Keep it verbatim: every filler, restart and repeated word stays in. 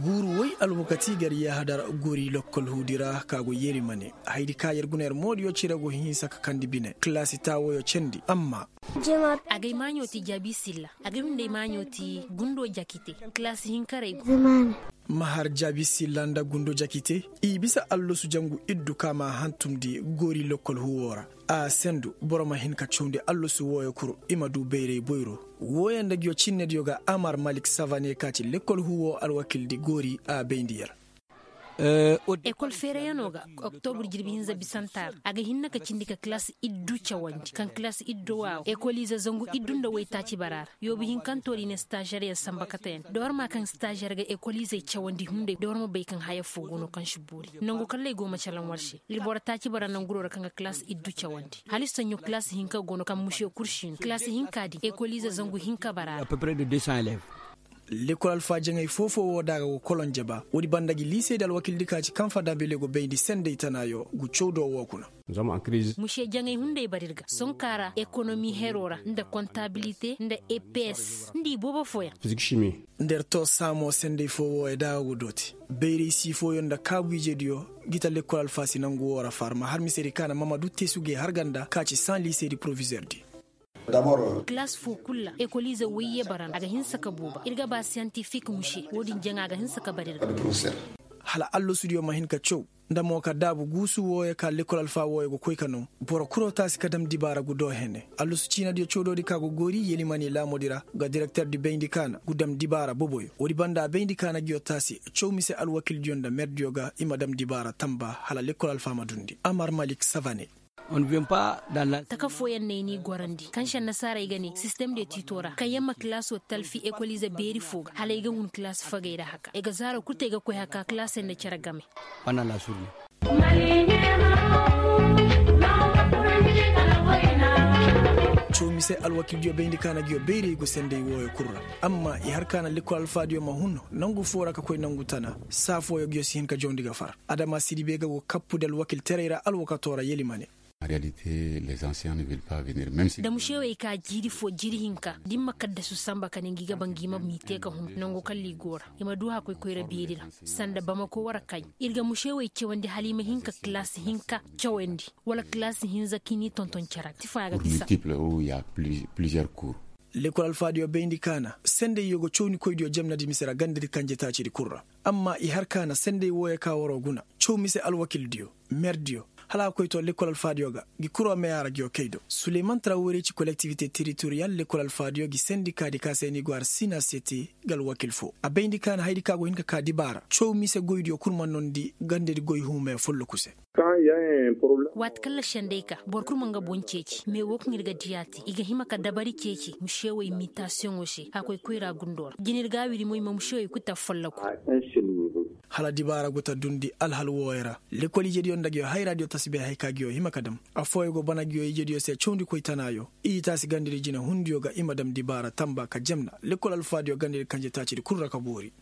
Guuru woy alwakati gar yahadar gori lokkol huudi ra ka go yeri mane haydi ka yer guna yer moodiyo cire go hinsa ka kandi bine kalaasi taawoyo cendi amma. Agay maaɲo ti jaabi silla. Agay hunday maaɲo ti gundo jakite kalaasi hinkaray go. Ma har jaabi silla nda gundo jakite i bisa allasu jangu iddu ka ma hantumndi gori lokkol huwo ra. A sendu boro ma hin ka cawndi allasu wooyo kul i ma du bayray boyro. Wooyo nda nguyo cinnediyo ga amar malik savane ka ci lekkol huwo alwakildi goori a bayndi yer. Ekol feerayano ga oktobur jirbi hinza bisantaara a ga hinna ka cindi ka kalaasi iddu cawandi kaŋ kalaasi iddu waawo ekoliize zangu iddu nda waytaaci bara ra. Yoobu hinkanto di ne stažeryaŋ sanba katayandi da war ma kaŋ stažer ga ekoliizey cawandi hunday da war ma bay kaŋ haya fo go no kaŋ si boori. Nangu kalley go ma calaŋ war se ir boro taaci bara nanguro ra kaŋ ga kalaasi iddu cawandi hala i soɲɲo kalaasi hinka go no kaŋ muse kursi no kalaasi hinka din ekoliize zangu hinka bara ra. Lekol alfaajaŋey foo-foo woo da a ga go kolonje ba woodi banda gi liisey da alwakildi ka ci kaŋ fadabile go bayndi sendey tanaayo gu cawdo woo kuna. Muse jaŋay hunday bar ir ga sonkaa ra ekonomi heroo ra nda kontabilite nda eps nda i boobo fooyaŋ. Nda ir too saamoo sendey foo wooyo da a ga go dooti bayray sii fooyaŋ nda kaabu ijediyo. Gi ta lekkol alfaasi nangu woo ra far ma har misedi ka na mamadu teesu gay harga nda ka ci saŋ liisedi porovizeer di. Kalaas foo kul ra ekoliize woy yee bara nda a ga hinsa ka buuba ir ga ba siyantifik muse woo din jaŋa a ga hinsa ka bar ir ga. Hala allasudiyo ma hin ka caw nda mo ka daabu guusu wooyo ka lekkol alfaa wooyo ga koy ka naw. Boro kuroo taasi ka dam dibaara gu doo hene allasu ciinadiyo cawdoodi ka go goori yelimani laamoodi ra ga direkteer di bayndi ka na gu dam dibaara boboyo woodi banda a bayndi ka na nguyo taasi caw mise alwakildiyo nda merdiyo ga i ma dam dibaara tamba hala lekkol alfaa ma dundi amar malik savane. Taka fooyaŋ no ay n'i gorandi kaŋ se annasaarey ga ne sistem de tiito ra kaŋ yaŋ ma kalaasoo talfi ekoliize beeri foo ga hala ay ga hun kalaas fagey ra haka ay ga zaaro kul te ay ga koy haka kalaasey nda cere game. Coomise alwakildiyo bayndi ka na nguyo bayray go senday wooyo kul ra. Amma i har ka na lekkol alfaadiyo ma hun nangu foo ra ka koy nangu tana saa fooyo nguyo si hin ka jawndi ga far. Adama sidibe ga go kappu nda alwakilteray ra alwakatoo ra yeli ma ne. Da mušewey ka jiiri foo jiiri hinka da i ma kaddasu sanba ka ne ngi ga ba ngi ma m'i te ka hun nangu kalla i go ra. I ma du hakkoy koyra beeri ra sanda bamako wara kaɲ. Ir ga mušewey cawandi hala i ma hin ka kalaasi hinka cawandi wala kalaasi hinza ka i n'i tonton cere ga ti faya ga bisa. Lekol alfaadiyo bayndi ka na sendey yoo go cawnikoydiyo jamnadi mise ra gandadi kanjetaacidi kul ra. Amma i har ka na sendey wooyo ka waroo guna caw mise alwakildiyo merdiyo hala a koy to lekkol alfaadiyo ga ngi kuroo meyaa ra nguyo kay do suleyman trawere ci kolektivite teritoriyal lekkol alfaadiyo ngi sendikaadi ka se ni go har sina seti. Nga alwakil foo a bayndi ka na hayadi ka go hin ka kaa dibaara caw mise goydiyo kul ma noondi gandadi goy huumeyo follokuse. Waati kaŋ lašenday ka boro kul ma nga boŋ ceeci mais woo kaŋ ir ga diyaa te i ga hima ka dabari ceeci mušewey mitasiyoŋo se a koy koyra gundoo ra jina ir ga a wiri mo i ma mušewey kul ta follaku. Hala dibaara go ta dundi alhal wooyo ra. Lekol ijediyo nda nguyo hayraadiyo tasbihey ka nguyo hima ka dam. Affooyo go bana nguyo ijediyo se cawndi koy tanaayo i taasi gandadi jina hundiyo ga i ma dam dibaara tamba ka jamna lekol alfaadiyo gandadi kanje taacidi kul ra ka boori.